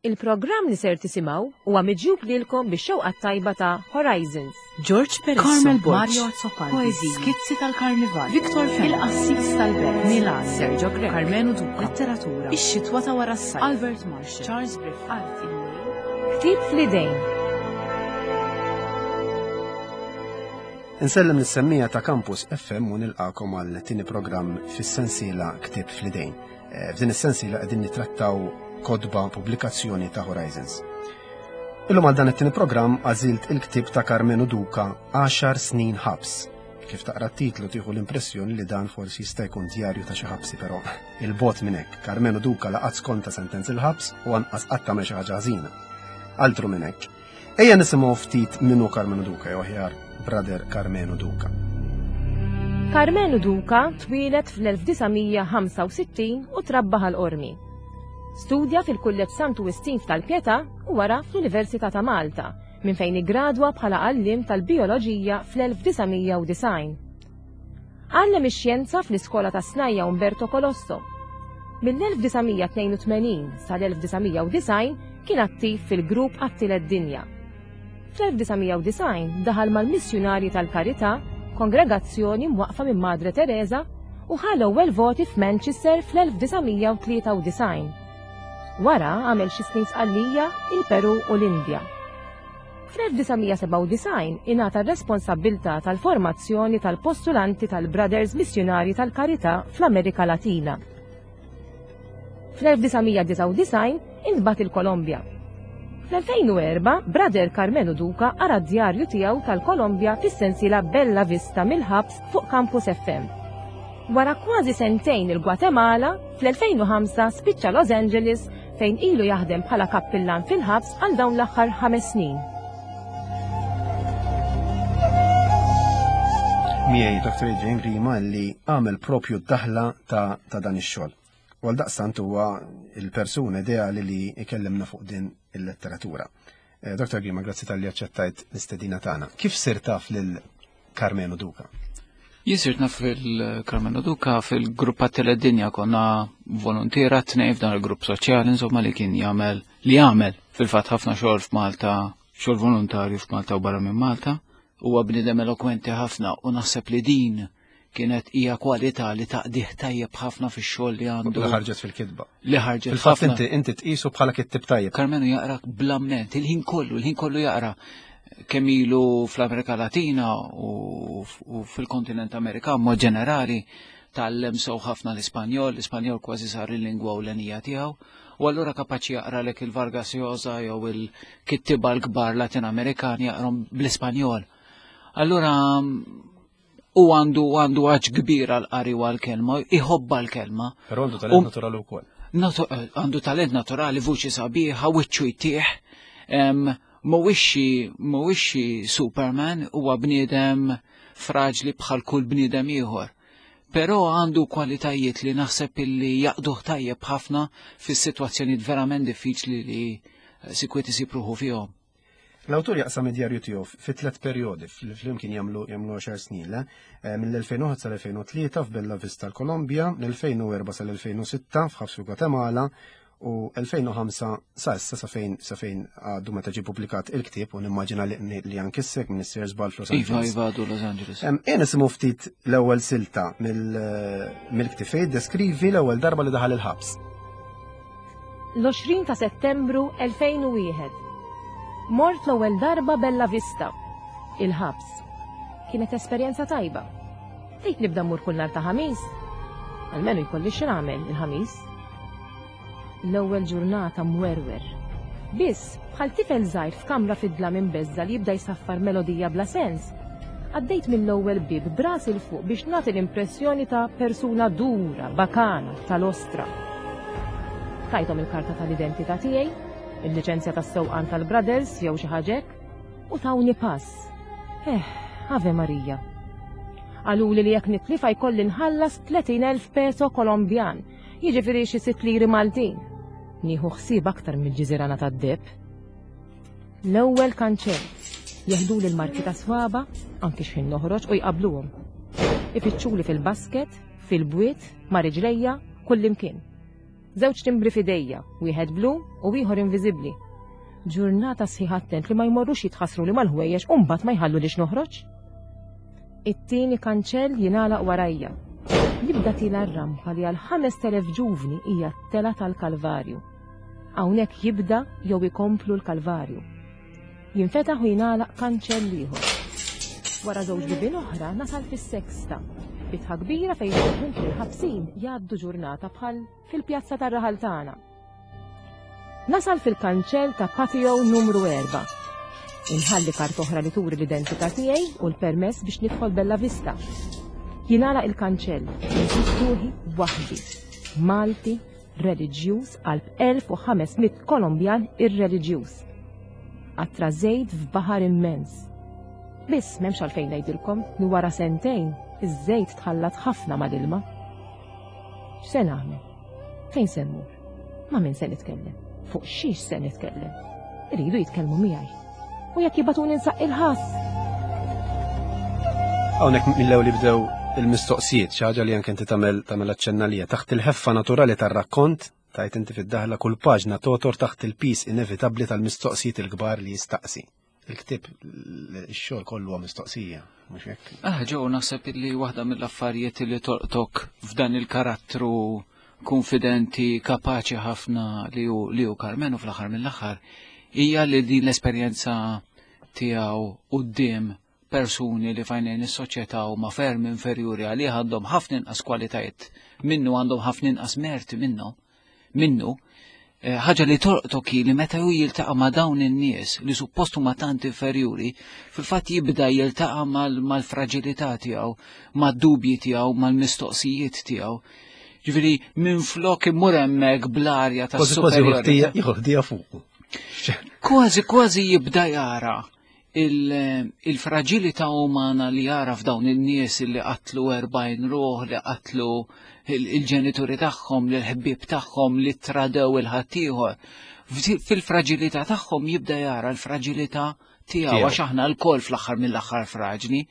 Il-programm li ser tisimgħu huwa miġjub lilkom bix-xewqa t-tajba ta' Horizons. George Peresso, Carmel Borg, Mario Azzopardi, Poeziji, Skizzi tal-Karnival, Victor Fenech, Il-Qassis tal-Belt, Milan, Sergio Grech, Karmenu Duca, Letteratura, Ix-Xitwa ta' wara s-sajf, Albert Marshall, Charles Griffith, Art, Ktieb fl-idejn. Insellem lis-semmija ta' Campus FM u nilqakom għal tieni programm fis-sensiela Ktieb fl-idejn. Eh, f'din is-sensiela qegħdin nittrattaw kotba pubblikazzjoni ta' Horizons. Illum għal dan it-tieni programm għażilt il-ktieb ta' Karmenu Duka 10 snin ħabs. Kif taqra t-titlu tieħu l-impressjoni li dan forsi jista' jkun djarju ta' xi ħabsi però il-bot minn hekk. Karmenu Duka laqat skonta sentenz il-ħabs u anqas qatt tagħmel xi ħaġa ħażina. Altru minn hekk. Ejja nisimgħu ftit minnu Karmenu Duka jew aħjar Brother Karmenu Duka. Karmenu Duka twieled fl-1965 u trabba Ħal Qormi. Studja fil-Kulleġġ Santu Wistin f'Tal-Pietà u wara fl-Università ta' Malta, minn fejn iggradwa bħala għalliem tal-bijoloġija fl-1990. Għallem ix-xjenza fl-Iskola tas-Snajja' Umberto Colosso. Mill-1982 sal-1990 kien attiv fil-grupp għat-Tielet Dinja. Fl-1990 daħal mal-Missjunarji tal-Karità, kongregazzjoni mwaqqfa minn Madre Teresa, u ħa l-ewwel voti f'Manchester fl-1993. Wara għamel xi snin Sqallija, il-Peru u l-Indja. Fl-1997 ingħata r-responsabbiltà tal-formazzjoni tal-postulanti tal-Brothers Missjunarji tal-Karità fl-Amerika Latina. Fl-1999 intbagħat il-Kolombja. Fl-2004, Brother Carmelo Duca qara d-djarju tiegħu tal-Kolombja fis-sensiela Bella Vista mill-ħabs fuq Campus FM. Wara kważi sentejn il-Gwatemala, fl-2005 spiċċa Los Angeles fejn ilu jaħdem bħala kappillan fil-ħabs għal dawn l-aħħar ħames snin. Miegħi Dr. Adrian Grima li għamel propju d-daħla ta', ta dan ix-xogħol. U għal daqstant huwa il-persuna ideali li ikellimna fuq din il-letteratura. Eh, Dr. Grima, grazzi tal-li aċċettajt l-istedina tagħna. Kif sir taf lil Carmenu Duca? Jien sirt naf il-Carmenu Duca fil-grupp għat-Teledinja konna volontiera tnej f'dan il-grupp soċjali insomma li kien jagħmel li jagħmel fil-fatt ħafna xogħol f'Malta, xogħol volontarju f'Malta u barra minn Malta. Huwa bniedem elokwenti ħafna u naħseb li din kienet hija kwalità li taqdih tajjeb ħafna fix-xogħol li għandu. Li ħarġet fil-kitba. Li ħarġet. Fil-fatt inti inti tqisu bħala kittib tajjeb. Karmenu jaqra bl-amment, il-ħin kollu, il-ħin kollu jaqra kemm ilu fl-Amerika Latina u fil-kontinent Amerikan mod ġenerali tgħallem sew ħafna l-Ispanjol, l-Ispanjol kważi sar il-lingwa ewlenija tiegħu, u allura kapaċi jaqralek il-Vargas Llosa jew il-kittiba l-kbar Latin Amerikani jaqrom bl-Ispanjol. Allura u għandu għandu għaġ kbir għal qari u għal kelma, iħobba l-kelma. Però għandu talent naturali wkoll. Għandu talent naturali, vuċi sabiħa, wiċċu jtieħ. Mhuwiex Superman, huwa bniedem fraġli bħal kull bniedem ieħor. Però għandu kwalitajiet li naħseb illi jaqduh tajjeb ħafna fis-sitwazzjonijiet verament diffiċli li sikwit isib ruħu fihom. L-awtur jaqsam id-djarju tiegħu fi tliet perjodi flimkien jagħmlu jagħmlu 10 snin, le? Eh, mill-2001 sal-2003 f'Bella Vista l-Kolombja, mill-2004 sal-2006 f'Ħabs fi Gwatemala u 2005 sa issa sa fejn sa fejn għadu meta ġie pubblikat il-ktieb u nimmaġina li, li anke issek minn issir żball f'Los Iva, Angeles. iva, għadu Los Angeles. Ejja nisimgħu ftit l-ewwel silta eh, mill-ktieb fejn deskrivi l-ewwel darba li daħal il-ħabs. L-20 ta' Settembru 2001. Mort l-ewwel darba Bella Vista, il-ħabs. Kienet esperjenza tajba. Tgħid nibda mmur kull nhar ta' Ħamis? Almenu jkolli xi nagħmel il-Ħamis. L-ewwel ġurnata mwerwer. Biss, bħal tifel żgħir f'kamra fid-dlam imbeżża' li jibda jsaffar melodija bla sens, għaddejt mill-ewwel bieb b'rasi 'l fuq biex nagħti l-impressjoni ta' persuna dura, bakana, tal-ostra. Tajthom il-karta tal-identità tiegħi, il-liċenzja tas-sewqan tal-Brothers jew xi ħaġa hekk, u tawni pass. Eh, Ave Marija. Qaluli li jekk nitlifa jkolli nħallas 30,000 peso Kolombjan, jiġifieri xi sitt liri Maltin. Nieħu ħsieb aktar mill-ġiżirana tad-deheb. L-ewwel kanċell. Jeħduli l-marki ta' swaba, anki x'ħin noħroġ u jqabbluhom. Ifittxuli fil-basket, fil-bwiet, ma' riġlejja, kullimkien. Żewġ timbri f'idejja, wieħed blu u ieħor inviżibbli. Ġurnata sħiħa attent li ma jmorrux jitħassru li mal-ħwejjeġ u mbagħad ma jħallulix noħroġ. It-tieni kanċell jingħalaq warajja. Nibda tila r-rampa li għal 5000 ġuvni hija t-tela tal-Kalvarju. Hawnhekk jibda jew ikomplu l-Kalvarju. Jinfetaħ u jingħalaq kanċell ieħor. Wara żewġ bibien oħra nasal fis-Sexta, bitħa kbira fejn uħud mill-ħabsin jgħaddu ġurnata bħal fil-pjazza tar-raħal tagħna. Nasal fil-kanċell ta' patio numru 4. Inħalli kart oħra li turi l-identità tiegħi u l-permess biex nidħol Bella Vista. Jingħalaq il-kanċell, insib ruħi waħdi. Malti, reliġjuż qalb 1500 Kolombjan irreliġjuż. Qatra żejt f'baħar immens. Biss m'hemmx għalfejn ngħidilkom li wara sentejn iż-żejt tħallat ħafna mal-ilma. X'se nagħmel? Fejn se mmur? Ma' min se nitkellem? Fuq xiex se nitkellem? Iridu jitkellmu miegħi. U jekk jibgħatuni nsaqqi l-ħass? Hawnhekk mill-ewwel jibdew il-mistoqsijiet, xi ħaġa li anke inti tagħmel tagħmel aċċenna lija taħt il-ħeffa naturali tar-rakkont, tajt inti fid-daħla kull paġna totor taħt il-pis inevitabbli tal-mistoqsijiet il-kbar li jistaqsi. Il-ktieb ix-xogħol kollu huwa mistoqsija, mhux hekk? Ah, ġew naħseb li waħda mill-affarijiet li tolqtok f'dan il-karattru konfidenti, kapaċi ħafna li hu li hu Karmenu fl-aħħar mill-aħħar hija li din l-esperjenza tiegħu quddiem persuni li fajnejn is-soċjetà huma ferm inferjuri għalih għandhom ħafna inqas kwalitajiet minnu għandhom ħafna inqas merti minnu minnu eh, ħaġa li tolqtok hi li meta hu jiltaqa' ma' dawn in-nies li suppost huma tant inferjuri, fil-fatt jibda jiltaqa' mal-fraġilità tiegħu, mad-dubji tiegħu, mal-mistoqsijiet tiegħu. Ġifieri minflok imur hemmhekk bl-arja ta' Kważi kważi jieħu ħdija fuqu. Kważi kważi jibda jara il-fragilità umana li jara f'dawn in-nies li qatlu 40 ruħ, li qatlu il-ġenituri tagħhom, li l-ħbieb tagħhom, li tradew il-ħaddieħor. Fil-fragilità tagħhom jibda jara l-fragilità tiegħu għax aħna lkoll fl-aħħar mill-aħħar fraġli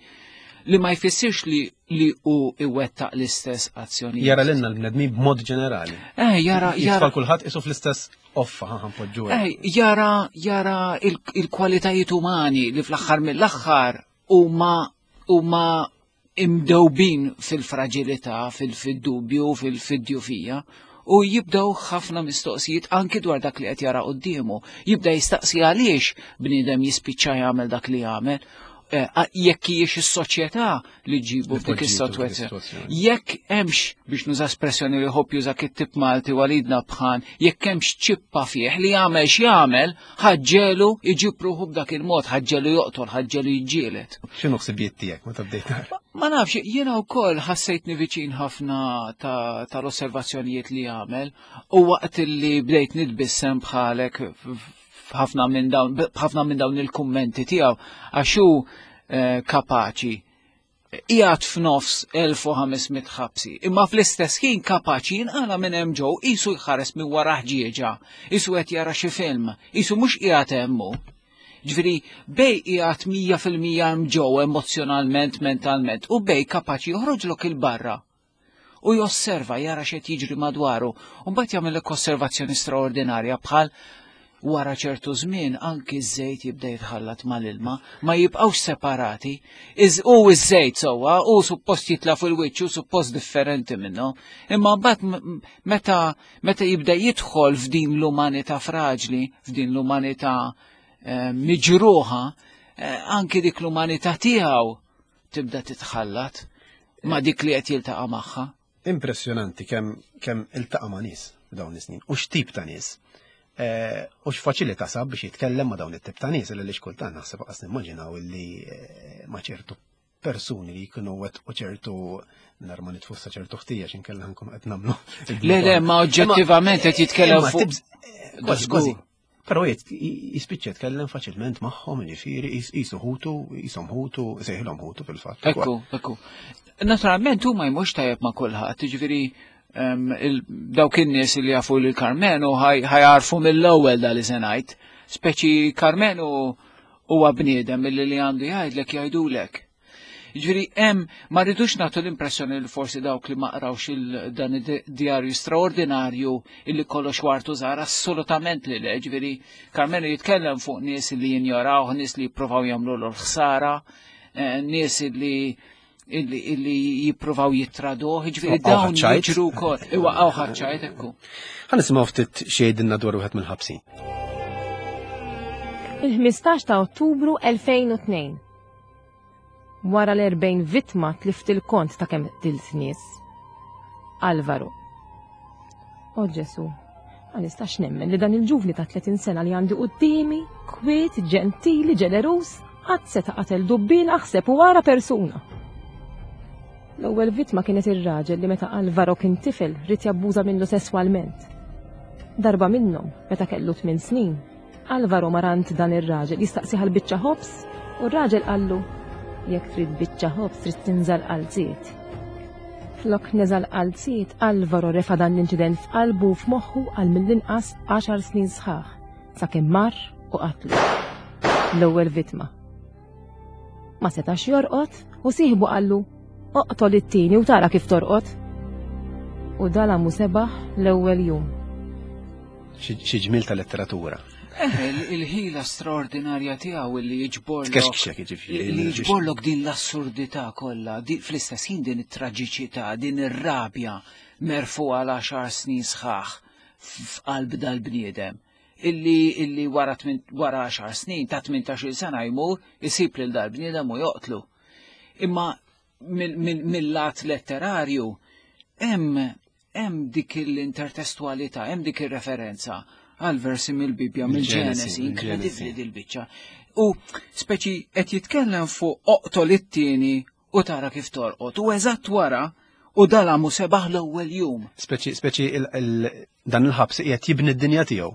li ma jfissirx li li hu iwettaq l-istess azzjoni. Jara lilna l-bnedmin b'mod ġenerali. Eh, jara jara kulħadd isu fl-istess offa ħanpoġġu. Eh, jara jara il-kwalitajiet umani li fl-aħħar mill-aħħar huma huma imdewbin fil-fragilità, fil-dubju, fil-djufija u jibdew ħafna mistoqsijiet anki dwar dak li qed jara quddiemu. Jibda jistaqsi għaliex bniedem jispiċċa jagħmel dak li jagħmel. Eh, jekk hijiex is-soċjetà li ġibu f'dik is-sitwazzjoni. Jekk hemmx biex nuża espressjoni li ħobb juża kittib Malti walidna bħan, jekk hemmx ċippa fih li jagħmel x'jagħmel, ħaġġelu iġib ruħu b'dak il-mod, ħaġġelu joqtol, ħaġġelu jiġġieled. X'inhu ħsibijiet tiegħek meta bdejt Ma nafx, jiena wkoll ħassejtni viċin ħafna tal-osservazzjonijiet li jagħmel u waqt li bdejt nitbissem bħalek f'ħafna minn dawn b'ħafna minn dawn il-kummenti tiegħu għax hu eh, kapaċi qiegħed f'nofs 1500 ħabsi, imma fl-istess ħin kapaċi jinqala minn hemm ġew qisu jħares minn wara ħġieġa, qisu qed jara xi film, qisu mhux qiegħed hemm hu. Ġifieri bej qiegħed 100% hemm ġew emozjonalment, mentalment, u bej kapaċi joħroġlok il-barra u josserva jara x'qed jiġri madwaru u mbagħad jagħmellek osservazzjoni straordinarja bħal wara ċertu żmien anki ż-żejt jibda jitħallat mal-ilma, ma jibqgħux separati. U ż-żejt sewwa, u suppost jitla fil-wiċċ u suppost differenti minnu. Imma mbagħad meta meta jibda jidħol f'din l-umanità fraġli, f'din l-umanità eh, miġruħa, eh, anki dik l-umanità tiegħu tibda titħallat ma' dik li qed jiltaqa' magħha. Impressjonanti kemm kemm iltaqa' ma' nies dawn is-snin u x'tip ta' nies. Eh, u x'faċilità sab biex jitkellem ma' dawn it-tip ta' nies li xkultant naħseb qas nimmaġinaw illi eh, ma' ċertu persuni li jkunu wet u ċertu nar ma nitfussa ċertu ħtija x'inkella nkunu qed nagħmlu. Le le ma oġġettivament qed jitkellem fuq. Eh, kważi kważi Però jispiċċa jitkellem faċilment magħhom, jiġifieri jisu ħutu, jisom ħutu, sejħilhom ħutu fil-fatt. Ekku, ekku. Naturalment huma jmux tajjeb ma' kulħadd, jiġifieri dawk in-nies li jafu lil Karmenu ħajarfu mill-ewwel da li se ngħid. Speċi Karmenu huwa bniedem milli li għandu jgħidlek jgħidulek. Ġifieri hemm ma rridux nagħtu l-impressjoni li forsi dawk li ma qrawx dan id-djarju straordinarju illi kollox wartu żgħar assolutament li le, ġifieri Karmenu jitkellem fuq nies li jinjorawh, nies li jippruvaw jagħmlu l ħsara, eh, nies li illi jippruvaw jittraduh, ġifieri dawn jiġru wkoll. Iwa għaw ħaċċajt ekku. Ħa nisimgħu ftit xejdinna dwar wieħed mill-ħabsin. Il-15 ta' Ottubru 2002. Wara l-40 vittma tlift il-kont ta' kemm qtilt nies. Alvaro. O Ġesu, ma nistax nemmen li dan il-ġuvni ta' 30 sena li għandi quddiemi, kwiet, ġentili, ġeneruż, qatt seta' qatel dubbien aħseb u ara persuna. L-ewwel vittma kienet ir-raġel li meta Alvaro kien tifel ried jabbuża minnu sesswalment. Darba minnhom, meta kellu 8 snin, Alvaro mar għand dan ir-raġel jistaqsih għal biċċa ħobż u r-raġel qallu, Jekk trid biċċa ħobż trid tinża' l-qalziet. Flok neża' l-qalziet, Alvaro refa' dan l-inċident f'qalbu u f'moħħu għal mill-inqas għaxar snin sħaħ, sakemm mar u qatlu. L-ewwel vittma. Ma setax jorqod u sieħbu qallu, Oqtol it-tieni u tara kif torqod. U dalamu sebaħ l-ewwel jum. Xi ġmiel ta' letteratura. Eh, il-ħila straordinarja tiegħu li jiġborlok. Tkexkxek jiġifieri. Li jiġborlok din l-assurdità kollha, fl-istess ħin din it-traġiċità, din ir-rabja merfu għal għaxar snin sħaħ f'qalb dal-bniedem. Illi illi wara wara 10 snin ta' 18-il sena jmur isib lil dal-bniedem u joqtlu. Imma mill-lat letterarju hemm hemm dik l-intertestualità, hemm dik ir-referenza għal versi mill-Bibja, mill-Ġenesi, inkredibbli dil-biċċa. U speċi qed jitkellem fuq oqtol it-tieni u tara kif torqod. U eżatt wara u dalamu sebaħ l-ewwel jum. Speċi speċi dan il-ħabs qiegħed jibni d-dinja tiegħu.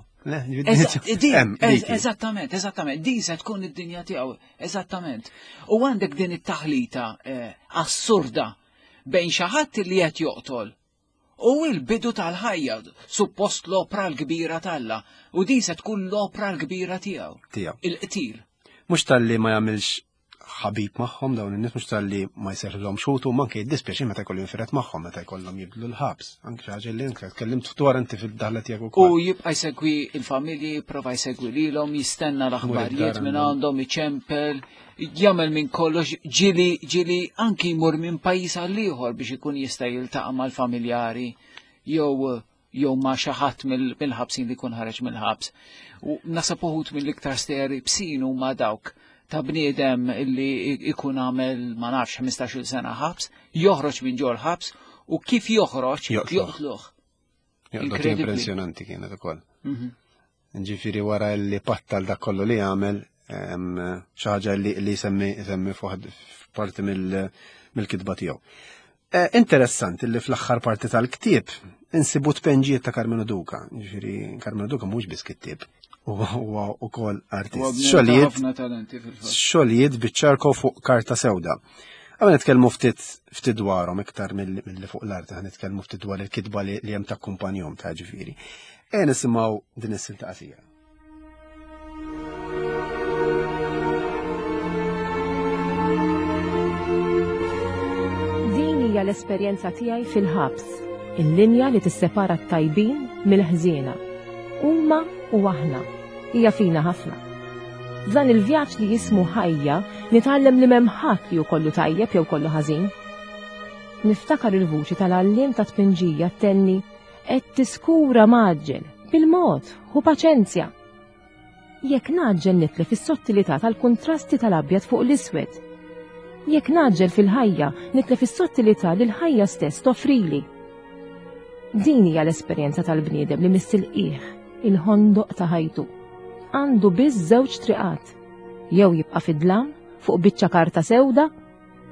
Eżattament, eżattament. Din se tkun id-dinja tiegħu, eżattament. U għandek din it-taħlita eh, assurda bejn xi ħadd li qed joqtol u l-bidu tal-ħajja, suppost l-opra l-kbira t'Alla, u din se tkun l-opra l-kbira tiegħu. Tiegħu. Il-qtil. Mhux talli ma jagħmilx ħabib magħhom dawn in-nies mhux talli ma jserħilhom xutu ma anke jiddispjaċi meta jkollu jinfiret magħhom meta jkollhom jibdlu l-ħabs. Anke xi ħaġa li anke tkellimt dwar inti fid-daħla tiegħek ukoll. U jibqa' jsegwi il-familji, jipprova jsegwi lilhom, jistenna l-aħbarijiet minn għandhom, iċempel, jagħmel minn kollox ġili ġili anki jmur minn pajjiż għal ieħor biex ikun jista' jiltaqa' mal-familjari jew jew ma' xi ħadd mill-ħabsin li jkun ħareġ mill-ħabs. U nasab uħud mill-iktar stejjer ibsin huma dawk ta' bniedem li ikun għamel ma nafx 15-il sena ħabs, joħroġ minn ġol ħabs u kif joħroġ joqtluh. Impressjonanti kienet ukoll. Mhm. Ġifieri wara li pattal dak kollu li għamel, xi ħaġa li jsemmi jsemmi f'parti mill-kitba tiegħu. Eh, interessanti li fl-aħħar parti tal-ktieb insibu tpenġijiet ta' Carmelo Duca. Ġifieri Carmelo Duca mhux biss kittieb, huwa wkoll artist. Xogħlijiet biċ-ċarko fuq karta sewda. Għamil nitkellmu ftit ftit dwarhom iktar mill-li fuq l-arti, nitkellmu ftit dwar il-kitba li hemm ta' kumpanjom ta' ġifieri. Ejja nisimgħu din is-silta qasira. Din hija l-esperjenza tiegħi fil-ħabs, il-linja li tissepara t-tajbin mill-ħżiena. Huma u aħna. Hija fina ħafna. F'dan il-vjaġġ li jismu ħajja nitgħallem li m'hemm ħadd li hu kollu tajjeb jew kollu ħażin. Niftakar il-vuċi tal-għalliem ta' tpinġija ttenni Qed tiskura mgħaġġel, bil-mod, ħu paċenzja. Jekk ngħaġġel nitlef is-sottilità tal-kuntrasti tal-abjad fuq l-iswed. Jekk ngħaġġel fil-ħajja, nitlef is-sottilità li l-ħajja stess toffrili. Din hija l-esperjenza tal-bniedem li miss il-qiegħ, il-ħondoq ta' ħajtu. Għandu biss żewġ triqat, jew jibqa' fid-dlam fuq biċċa karta sewda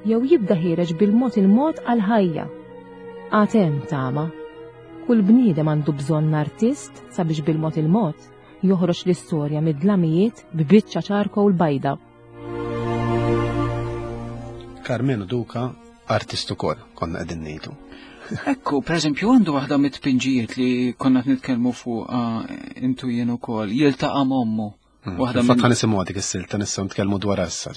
jew jibda ħiereġ bil-mod il-mod għall-ħajja. Għad hemm tama. Kull bniedem għandu bżonn artist sabiex bil-mod il-mod joħroġ l-istorja mid-dlamijiet b'biċċa charcoal bajda. Carmenu Duca artist ukoll konna qegħdin ngħidu. Ekku, per eżempju, għandu waħda mit-tpinġijiet li konna nitkellmu fuq ah, intu jien ukoll, jiltaqa' m'ommu. Hmm. Waħda minn. Fatt nisimgħu dik is-silta nistgħu nitkellmu dwar issa.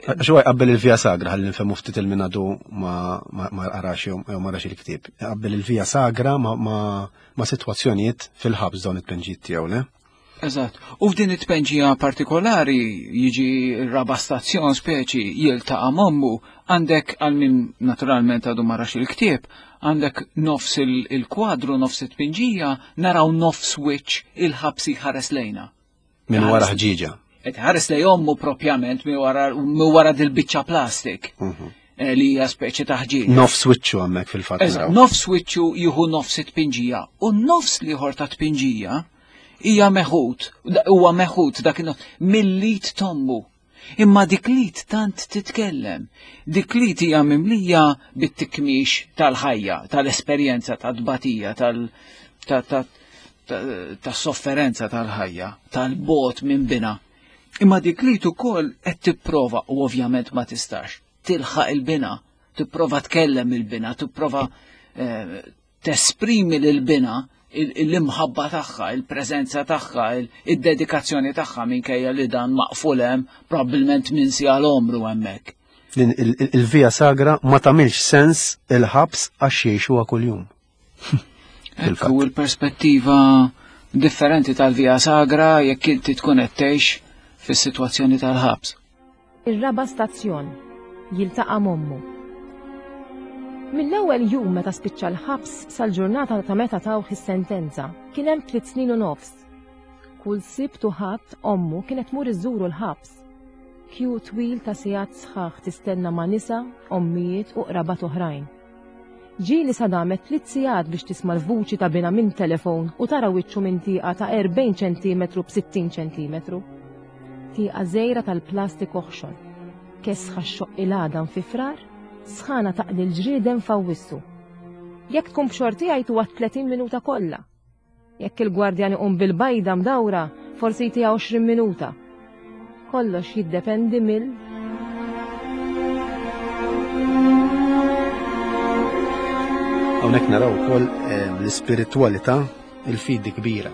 Għax huwa jqabbel il-Via Sagra ħalli nfhemu ftit il-minadu ma qarax jew ma rax il-ktieb. Jqabbel il-Via Sagra ma' sitwazzjonijiet fil-ħabs dawn it-tpenġijiet tiegħu, le? Eżatt. U f'din it-tpenġija partikolari jiġi r-raba' stazzjon speċi jiltaqa' m'ommu, għandek għal min naturalment għadu ma rax il-ktieb, għandek nofs il-kwadru, nofs it-tpinġija, naraw nofs wiċċ il-ħabsi ħares lejna. Minn wara ħġieġa. Qed ħares lej ommu propjament minn wara dil-biċċa plastik. Eh, li hija speċi ta' ħġieġ. Nofs wiċċu hemmhekk fil-fatt. Nofs wiċċu jieħu nofs it-tpinġija u nofs liħor ta' tpinġija hija meħud, huwa meħud dak mill-lit tommu. Imma dik lit tant titkellem. Dik lit hija mimlija bit-tikmix tal-ħajja, tal-esperjenza, tal-tbatija, tal-, tas-sofferenza tal-ħajja, tal-bot minn bina. Imma dik li ukoll qed tipprova u ovvjament ma tistax tilħaq il-bina, tipprova tkellem il-bina, tipprova eh, tesprimi lil-bina l-imħabba tagħha, il-preżenza tagħha, id-dedikazzjoni tagħha minkejja li dan maqful hemm probabbilment minn si għal omru hemmhekk. Il-via sagra ma tagħmilx sens il-ħabs għax jgħixuha kuljum. Ekku l-perspettiva differenti tal-Via Sagra jekk inti tkun qed tgħix fis-sitwazzjoni tal-ħabs. Ir-raba' stazzjon jiltaqa' m'ommu. Mill-ewwel jum meta spiċċa l-ħabs sal-ġurnata ta' meta tawh is-sentenza kien hemm tliet snin u nofs. Kull Sibt u Ħadd ommu kienet tmur iżżuru l-ħabs. Kju twil ta' sigħat sħaħ tistenna ma' nisa, ommijiet u qrabat oħrajn. Ġieli sa damet tliet sigħat biex tisma' l-vuċi ta' binha minn telefon u tara wiċċu minn tieqa ta' 40 ċentimetru b'60 ċentimetru. Tieqa żgħira tal-plastik oħxon. Kesħa xxoqq il-għadam fi Frar, sħana taqli l-ġrieden f'Awwissu. Jekk tkun b'xortiha jtuha t-30 minuta kollha. Jekk il-gwardjan iqum bil-bajda mdawra, forsi jtiha 20 minuta. Kollox jiddependi mill. Hawnhekk naraw ukoll eh, l-ispiritwalità, il-fidi kbira.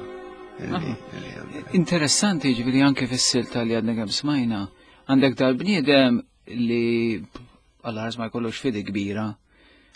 Interessanti ġifieri anke fis-silta li għadna kemm smajna, għandek dal-bniedem li għal ma jkollux fidi kbira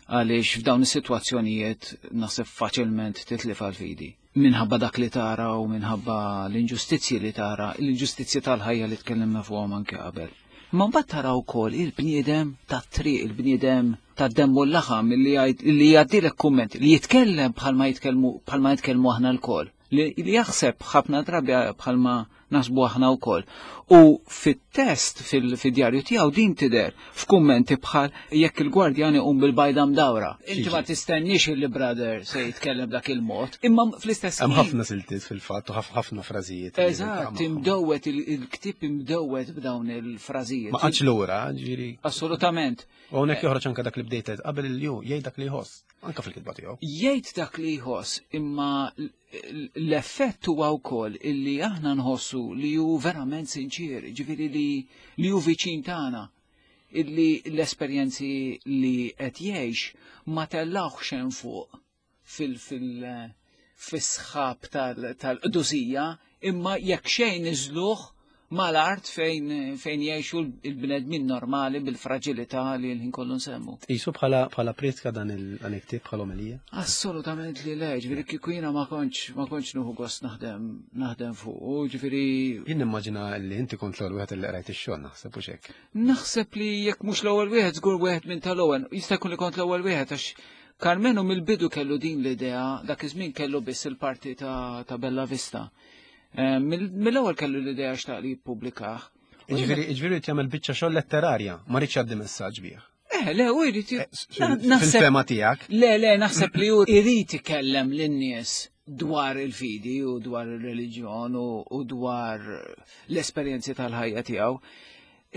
għaliex f'dawn is-sitwazzjonijiet naħseb faċilment titlif għal-fidi. Minħabba dak li tara u minħabba l-inġustizzji li tara, l-inġustizzji tal-ħajja li tkellimna fuqhom anke qabel. Imma mbagħad tara wkoll il-bniedem tat-triq, il-bniedem tad-demm u l-laħam li jgħaddilek kumment, li jitkellem bħalma jitkellmu bħalma jitkellmu aħna lkoll, li jaħseb ħafna drabi bħalma naħsbu aħna wkoll. U fit-test fil-djarju tiegħu din tidher f'kummenti bħal jekk il-gwardjan iqum bil-bajda mdawra. Inti ma tistenniex il brother se jitkellem dak il-mod, imma fl-istess Hemm ħafna siltiet fil-fatt u ħafna frażijiet. Eżatt, imdowwet il-ktieb imdowwet b'dawn il-frażijiet. Ma qatx lura, ġifieri. Assolutament. U hawnhekk joħroġ anke dak li bdejt qabel il-ju jgħid dak li jħoss, anke fil-kitba tiegħu. Jgħid dak li jħoss, imma l-effett huwa wkoll illi aħna nħossu li hu verament sinċir, ġifieri li li hu viċin tagħna, illi l-esperjenzi li qed jgħix ma tellawx hemm fuq fil fil fis-sħab tal-qdusija, imma jekk xejn niżluh mal-art fejn fejn jgħixu l-bnedmin normali bil-fraġilità li l-ħin kollu nsemmu. Tqisu bħala bħala prietka dan il-ktieb bħala omelija? Assolutament li le, ġifieri kieku jiena ma kontx ma kontx nieħu gost naħdem naħdem fuq, ġifieri. Jien nimmaġina li inti kont l-ewwel wieħed li qrajt ix-xogħol naħseb u hekk. Naħseb li jekk mhux l-ewwel wieħed żgur wieħed minn tal-ewwel, jista' jkun li kont l-ewwel wieħed għax Karmenu mill-bidu kellu din l-idea, dak iż-żmien kellu biss il-parti ta', ta Bella Vista. Eh, mill-ewwel kellu l-idea xtaq li jippubblikah. Ġifieri ġifieri jagħmel biċċa xogħol letterarja, ma rridx jgħaddi messaġġ bih. Eh, le, u jrid eh, Fil-fema tiegħek. Le, le, naħseb li hu jrid ikellem lin-nies dwar il-fidi u dwar il-reliġjon u dwar l-esperjenzi tal-ħajja tiegħu.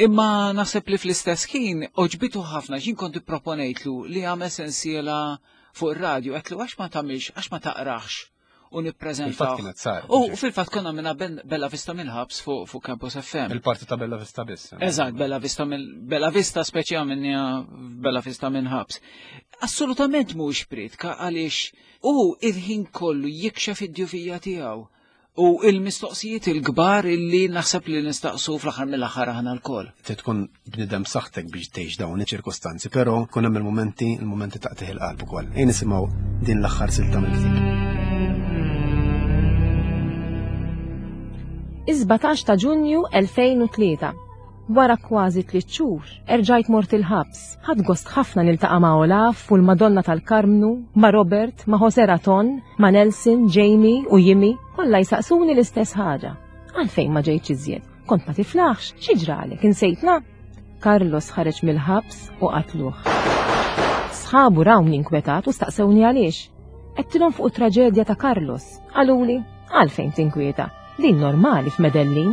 Imma naħseb li fl-istess ħin oġbitu ħafna x'in kont ipproponejtlu li għamel sensiela fuq ir-radju, għetlu għax ma tagħmilx, għax ma taqrax u nippreżentaw. Fil-fatt kienet sar. U fil-fatt konna minna Bella Vista mill-ħabs fuq Campus FM. Il-parti ta' Bella Vista biss. Eh. Eżatt, Bella Vista mill Bella Vista speċi għamilniha Bella Vista minn ħabs. Assolutament mhux pritka għaliex u il-ħin kollu jikxef id-djufija tiegħu. U il-mistoqsijiet il-kbar illi naħseb li nistaqsu fl-aħħar mill-aħħar aħna lkoll. Trid tkun bniedem b'saħħtek biex tgħix dawn iċ-ċirkustanzi, però jkun hemm il-mumenti, il-mumenti taqtigħ il-qalb ukoll. Ejja nisimgħu din l-aħħar silta mill-ktieb. Is-17 ta' Ġunju 2003. Wara kważi tliet xhur, erġajt mort il-ħabs. Ħadt gost ħafna niltaqa' ma' Olaf u l-Madonna tal-Karmnu, ma' Robert, ma' José Raton, ma' Nelson, Jamie u Jimmy, kollha jsaqsuni l-istess ħaġa. Għalfejn ma ġejtx iżjed? Kont ma tiflaħx? Xi ġralek? Insejtna? Carlos ħareġ mill-ħabs u qatluh. Sħabu rawni inkwetat u staqsewni għaliex. Għedtilhom fuq it-traġedja ta' Carlos. Qaluli, għalfejn tinkwieta? Din normali f'Medellin.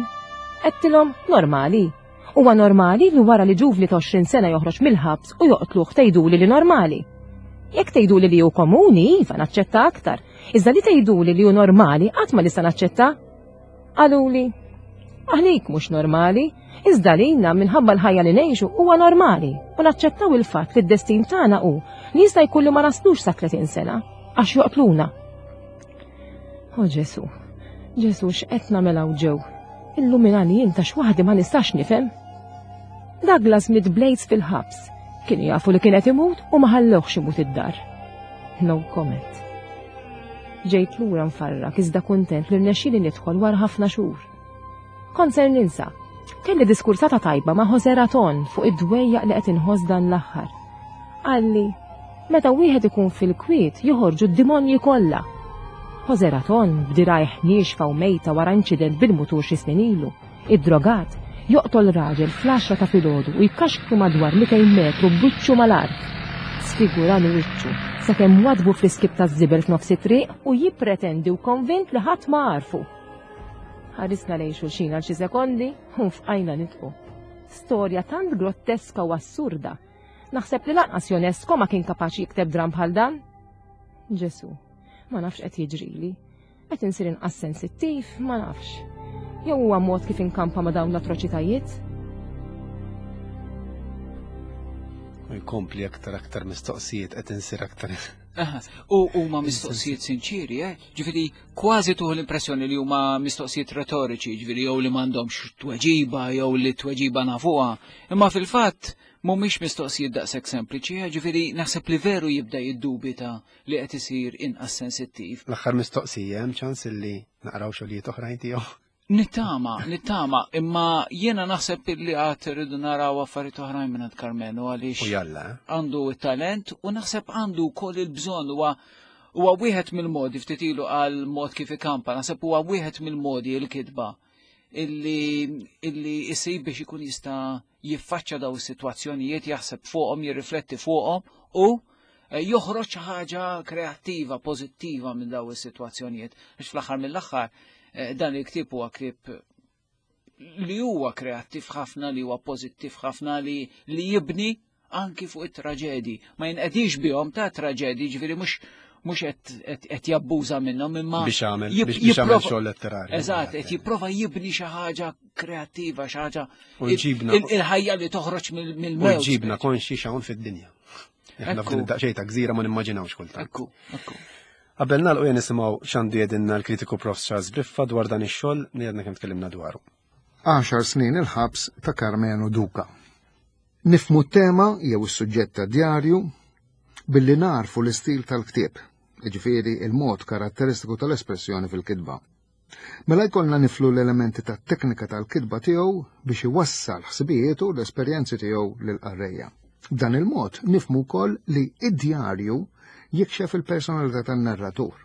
Għedtilhom, normali. Huwa normali li wara li ġuvni ta' 20 sena joħroġ mill-ħabs u joqtluh tgħiduli li normali. Jekk tgħiduli li hu komuni, iva naċċetta aktar. Iżda li tgħiduli li hu normali qatt ma nista' naċċetta. Qaluli, għalik mhux normali, iżda lilna minħabba l-ħajja li ngħixu huwa normali u naċċettaw il-fatt li d-destin tagħna hu li jista' jkun li ma naslux sa 30 sena għax joqtluna. O Ġesu, Ġesu x'qed nagħmel hawn ġew? Illuminani jien ta' x'waħdi ma nistax nifhem. Douglas miet blades fil-ħabs. Kienu jafu li kien qed imut u ma ħallewhx imut id-dar. No comment. Ġejt lura nfarrak iżda kuntent li rnexxieli nidħol wara ħafna xhur. Kont ser ninsa. Kelli diskursata tajba ma' Jose Raton fuq id-dwejjaq li qed inħoss dan l-aħħar. Qalli, meta wieħed ikun fil-kwiet joħorġu d-dimonji kollha. Jose Raton, b'dirajh niexfa u mejta wara inċident bil-mutur xi snin ilu, iddrogat, joqtol raġel fl-għaxra ta' filgħodu u jkaxkru madwar 200 metru b'wiċċu mal-art. Sfiguralu wiċċu sakemm waddbu fl-iskip taż-żibel f'nofs it-triq u jippretendi u konvint li ħadd ma għarfu. Ħarisna lejn xulxin għal xi sekondi u nfqajna nidħku. Storja tant grotteska u assurda. Naħseb li lanqas Ionesco ma kien kapaċi jikteb dramm bħal dan. Ġesu, ma nafx qed jiġrili. Qed insir inqas sensittiv, ma nafx. Jew huwa mod kif inkampa ma' dawn l-atroċitajiet? U jkompli aktar aktar mistoqsijiet qed insir aktar. U huma mistoqsijiet sinċiri, eh? Ġifieri kważi tuħu l-impressjoni li huma mistoqsijiet retoriċi, ġifieri jew li m'għandhomx tweġiba jew li tweġiba nafuha. Imma fil-fatt mhumiex mistoqsijiet daqshekk sempliċi, eh? ġifieri naħseb li veru jibda jiddubita li qed isir inqas sensittiv. L-aħħar mistoqsija hemm ċans illi naqraw xogħlijiet oħrajn tiegħu. Nittama, nittama, imma jiena naħseb li għad rridu naraw affarijiet oħrajn minn Karmenu għaliex. U jalla. Eh? Għandu t-talent u naħseb għandu wkoll il-bżonn huwa huwa wieħed mill-modi ftit ilu għal mod kif ikampa, naħseb huwa wieħed mill-modi l-kitba illi illi isib biex ikun jista' jiffaċċja daw is-sitwazzjonijiet, jaħseb fuqhom, jirrifletti fuqhom u eh, joħroġ xi ħaġa kreattiva, pożittiva minn daw is-sitwazzjonijiet. Għax fl-aħħar mill-aħħar eh, dan il-ktieb huwa ktieb li huwa kreattiv ħafna, li huwa pożittiv ħafna, li, li jibni anki fuq it-traġedi. Ma jinqedix bihom ta' traġedi, ġifieri mhux mhux qed jabbuża minnhom imma biex għamel biex għamel xogħol letterarju. Eżatt, qed jipprova jibni xi ħaġa kreattiva, xi ħaġa ġibna il-ħajja li toħroġ mill-mewt. U ġibna konxi x'hawn fid-dinja. Aħna f'din id-daqsxejn ta' gżira ma nimmaġinawx kultant. Ekku, ekku. Qabel nagħlqu jien nisimgħu x'għandu jgħidilna l-kritiku Prof. Charles Briffa dwar dan ix-xogħol li għadna kemm tkellimna dwaru. Għaxar snin il-ħabs ta' Karmenu Duka. Nifhmu t-tema jew is-suġġett tad-djarju billi nagħrfu l-istil tal-ktieb, jiġifieri l-mod karatteristiku tal-espressjoni fil-kitba. Mela jkollna niflu l-elementi tat-teknika tal-kitba tiegħu biex iwassal ħsibijietu u l-esperjenzi tiegħu lill-qarrejja. B'dan il-mod nifhmu wkoll li id-djarju jikxef il-personalità tan-narratur.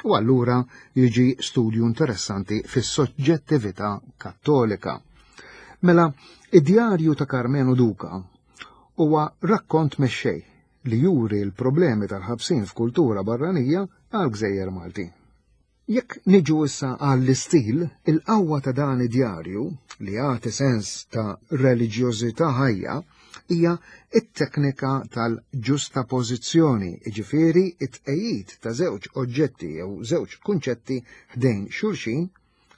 U allura jiġi studju interessanti fis-soġġettività kattolika. Mela, id-djarju ta' Karmenu Duka huwa rakkont mexxej li juri l-problemi tal-ħabsin f'kultura barranija għal gżejjer Maltin. Jekk niġu issa għall-istil, il-qawwa ta' dan id-djarju, li jagħti sens ta' reliġjożità ħajja, hija t-teknika tal-ġustapożizzjoni, jiġifieri t-tqegħid ta' żewġ oġġetti jew żewġ kunċetti ħdejn xulxin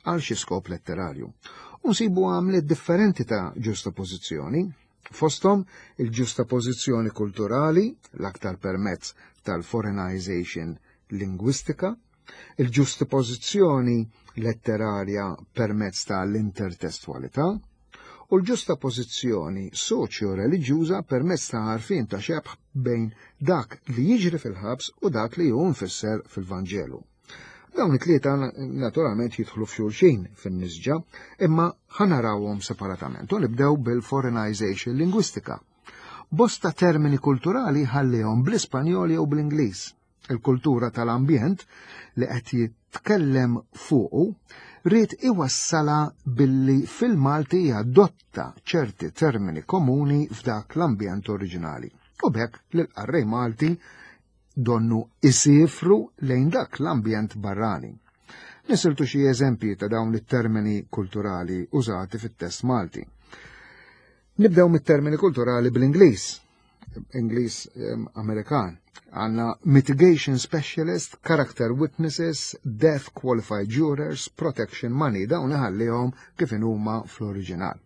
għal xi skop letterarju. U nsibu għamliet differenti ta' ġustapożizzjoni, fosthom il-ġustapożizzjoni kulturali, l-aktar permezz tal-foreignization lingwistika, Il-ġustipożizzjoni letterarja permezz ta' l-intertestwalità u l-ġustapożizzjoni soċjo-reliġjuża permezz ta' għarfien ta' xebh bejn dak li jiġri fil-ħabs u dak li hu mfisser fil-Vanġelu. Dawn it-tlieta naturalment jidħlu f'xulxin fin-nisġa, imma ħanarawhom separatament u nibdew bil-foreignization lingwistika. Bosta termini kulturali ħallihom bl-Ispanjol jew bl-Ingliż. Il-kultura tal-ambjent li qed jitkellem fuqu ried iwassalha billi fil-Malti jadotta ċerti termini komuni f'dak l-ambjent oriġinali. U b'hekk lill-qarrej Malti donnu isifru lejn dak l-ambjent barrani. Nisiltu xi eżempji ta' dawn it-termini kulturali użati fit-test Malti. Nibdew mit-termini kulturali bl-Ingliż. Ingliż Amerikan. Għanna mitigation specialist, character witnesses, death qualified jurors, protection money, dawn iħallihom kif huma fl-oriġinal.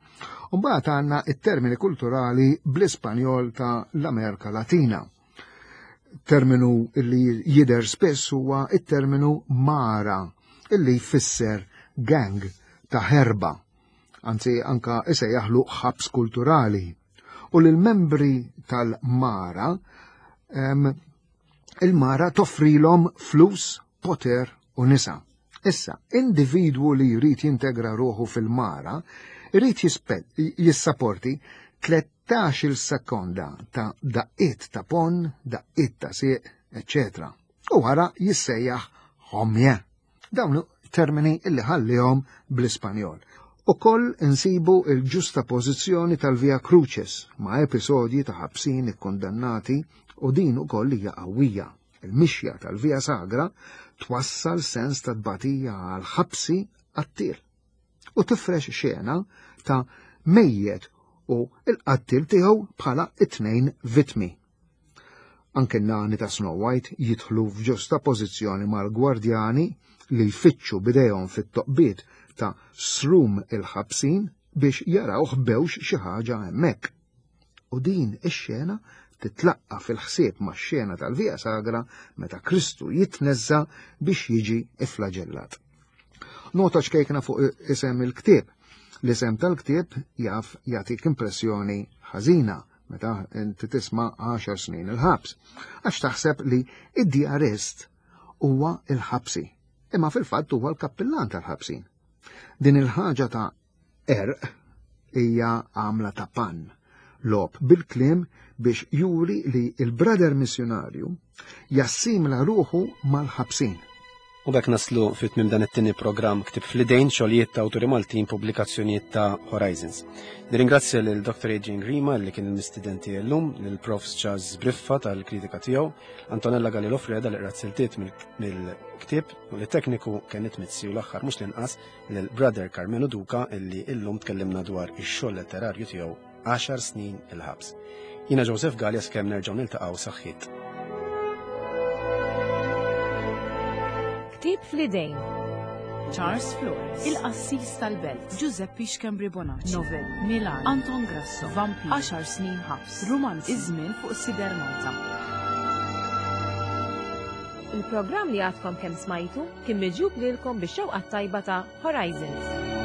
Umbagħad għandna it-termini kulturali bl-Ispanjol ta' l-Amerika Latina. Terminu li jider spiss huwa it-terminu mara, illi jfisser gang ta' ħerba, anzi anka isejjaħlu ħabs kulturali u l membri tal-mara il-mara toffrilhom flus, poter u nisa. Issa, individwu li jrid jintegra ruħu fil-mara, jrid jissaporti 13 sekonda ta' daqqiet ta' pon, daqqiet ta' sieq, etc. U wara jissejjaħ homje. Dawn termini illi ħallihom bl-Ispanjol. Ukoll insibu il-ġusta pożizzjoni tal-Via Crucis ma' episodji ta' ħabsin ikkundannati u din ukoll hija qawwija. Il-mixja tal-Via Sagra twassal sens ta' tbatija għal ħabsi qattiel u tifrex xena ta' mejjet u l-qattiel tiegħu bħala it-tnejn vittmi. Anke n-nani ta' Snow White jidħlu f'ġusta pożizzjoni mal-gwardjani li jfittxu bidejhom fit-toqbiet ta' srum il-ħabsin biex jaraw ħbewx xi ħaġa hemmhekk. U din ix-xena titlaqqa fil-ħsieb max-xena tal-Via Sagra meta Kristu jitneżża biex jiġi iflaġellat. Nota ċkejkna fuq isem il-ktieb. L-isem tal-ktieb jaf jagħtik impressjoni ħażina meta inti tisma' 10 snin il-ħabs, għax taħseb li id-djarist huwa il-ħabsi, imma fil-fatt huwa l-kappillan tal-ħabsin. Din il-ħaġa ta' erq hija għamla ta' pan, lob bil-kliem biex juri li il-brother missjonarju jassimla ruħu mal-ħabsin. U b'hekk naslu fi tmiem dan it-tieni programm Ktieb fl-Idejn, xogħlijiet ta' awturi Maltin, pubblikazzjonijiet ta' Horizons. Nirringrazzja lil Dr. Adrian Grima li kien il-mistieden tiegħi llum, lil Prof. Charles Briffa tal-kritika tiegħu, Antonella Galillo Freda li qrat siltiet mill-ktieb u li tekniku Kenneth Mizzi u l-aħħar mhux l-inqas lil Brother Carmenu Duca illi illum tkellimna dwar ix-xogħol letterarju tiegħu 10 snin il-ħabs. Jiena Joseph Galea skemm nerġgħu niltaqgħu saħħiet. Ktieb fl-idejn. Charles Flores, Il-Qassis tal-Belt, Giuseppe Schembri Bonacci, Novel, Milan, Anton Grasso, Vampir, 10 snin ħabs, Rumanz, Iż-żmien fuq Sider Malta. Il-programm li għadkom kemm smajtu kien miġjub lilkom bix-xewqa tajba ta' Horizons.